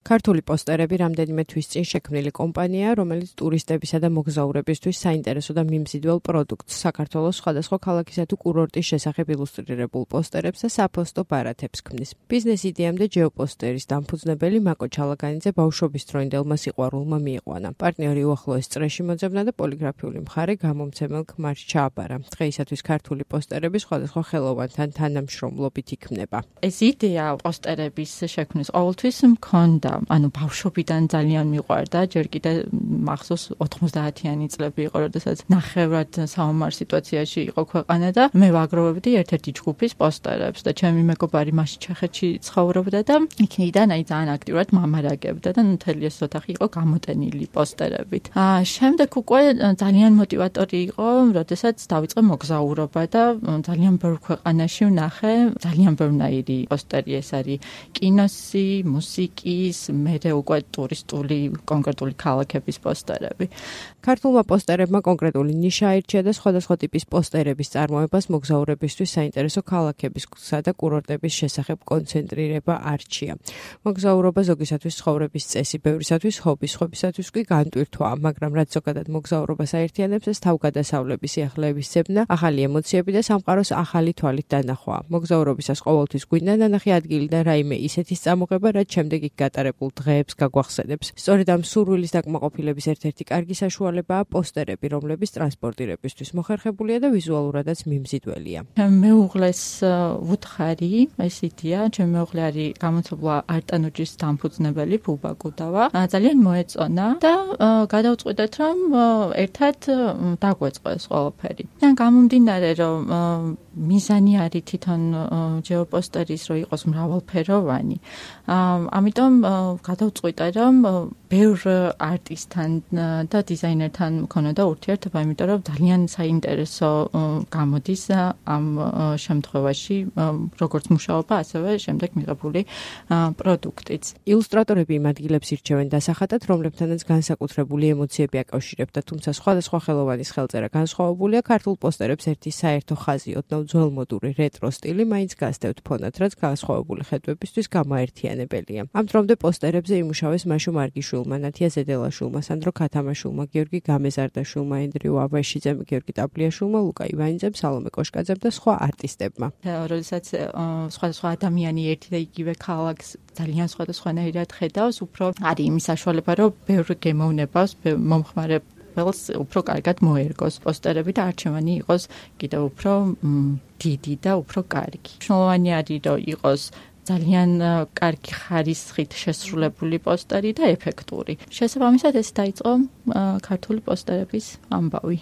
ქართული პოსტერები რამდენიმე თვის წინ შექმნილი კომპანიაა, რომელიც ტურისტებისა და მოგზაურებისთვის საინტერესო და მიმზიდველ პროდუქტს, საქართველოს სხვადასხვა ქალაქისა თუ კურორტის შესახებ ილუსტრირებულ პოსტერებს და საფოსტო ბარათებს ქმნის. ბიზნეს იდეამდე ჯეოპოსტერის დამფუძნებელი მაკო ჩალაგანიძე ბავშვობის დროინდელმა სიყვარულმა მიიყვანა. პარტნიორი უახლოეს წრეში მოძებნა და პოლიგრაფიული მხარე გამომცემელ ქმარს ჩააბარა. დღეისათვის ქართული პოსტერები სხვადასხვა ხელოვანთან თანამშრომლობით იქმნება. ეს იდეა პოსტერების შექმნის ყოველთვის მქონდა. ანუ ბავშვობიდან ძალიან მიყვარდა, ჯერ კიდე მახსოვს 90-იანი წლები იყო, როდესაც ნახევრად საომარ სიტუაციაში იყო ქვეყანა და მე ვაგროვებდი ერთ-ერთი ჯგუფის პოსტერებს და ჩემი მეგობარი მაშინ ჩეხეთში ცხოვრობდა და იქნიდან ძალიან აქტიურად მამარაგებდა და მთელი ეს ოთახი იყო გამოტენილი პოსტერებით. შემდეგ უკვე ძალიან მოტივატორი იყო, როდესაც დავიწყე მოგზაურობა და ძალიან ბევრ ქვეყანაში ვნახე, ძალიან ბევრნაირი პოსტერი ეს არის კინოსი, მუსიკის, მერე უკვე ტურისტული კონკრეტული ქალაქების პოსტერები. ქართულმა პოსტერებმა კონკრეტული ნიშა აირჩია და სხვადასხვა ტიპის პოსტერების წარმოებას მოგზაურებისთვის საინტერესო ქალაქებისა და კურორტების შესახებ კონცენტრირება არჩია. მოგზაურობა ზოგისათვის ცხოვრების წესი, ბევრისათვის ჰობი, სხვებისათვის კი განტვირთვაა, მაგრამ რაც ზოგადად მოგზაურობას აერთიანებს, ეს თავგადასავლების, სიახლეების ძებნა, ახალი ემოციები და სამყაროს ახალი თვალით დანახვაა. მოგზაურობისას ყოველთვის გვინდა ნანახი ადგილი და რაიმე ისეთი წამოღება, რაც შემდეგ იქ გატარებულ დღეებს გაგვახსენებს. სწორედ ამ სურვილის დაკმაყოფილების ერთ-ერთი კარგი საშუალებაა პოსტერები, რომლებიც ტრანსპორტირებისთვის მოხერხებულია და ვიზუალურადაც მიმზიდველია. მეუღლეს ვუთხარი, ეს იდეა, ჩემი მეუღლე არის გამოცებლა არტანუჯის დამფუძნებელი ბუბა გუდავა. ძალიან მოეწონა და გადავწყვიტეთ, რომ ერთად დაგვეწყოს ყველაფერი. და გამომდინარე, რომ მიზანი არის თვითონ ჯეოპოსტერის, რომ იყოს მრავალფეროვანი. ამიტომ გადავწყვიტე, რომ ბევრ არტისტთან და დიზაინერთან მქონოდა ურთიერთობა, იმიტომ რომ ძალიან საინტერესო გამოდის ამ შემთხვევაში, როგორც მუშაობა, ასევე შემდეგ მიღებული პროდუქტიც. ილუსტრატორები იმ ადგილებს ირჩევენ დასახატად, რომლებთანაც განსაკუთრებული ემოციები აკავშირებდა, თუმცა სხვადასხვა ხელოვანის ხელწერა განსხვავებულია. ქართულ პოსტერებს ერთი საერთო ხაზი, ოდნავ ძველმოდური რეტრო სტილი მაინც გასდევთ ფონად, რაც განსხვავებული ხედვებისთვის გამოაერთიანებელია. ამ დრომდე პოსტერებზე იმუშავეს მაშო მარგიშვილმა, ნათია ზედელაშვილმა, სანდრო ქათამაშვილმა, გიორგი გამეზარდაშვილმა, ენდრიუ აბაშიძემ, გიორგი ტაბლიაშვილმა, ლუკა ივანიძემ, სალომე კოშკაძემ და სხვა არტისტებმა. როდესაც სხვადასხვა ადამიანი ერთი და იგივე ქალაქს ძალიან სხვადასხვანაირად ხედავს, უფრო არის იმის საშუალება, რომ ბევრ გემოვნებას, მომხმარე უფრო კარგად მოერგოს პოსტერები და არჩევანი იყოს კიდევ უფრო დიდი და უფრო კარგი. მნიშვნელოვანი არის, რომ იყოს ძალიან კარგი ხარისხით შესრულებული პოსტერი და ეფექტური. შესაბამისად ეს დაიწყო ქართული პოსტერების ამბავი.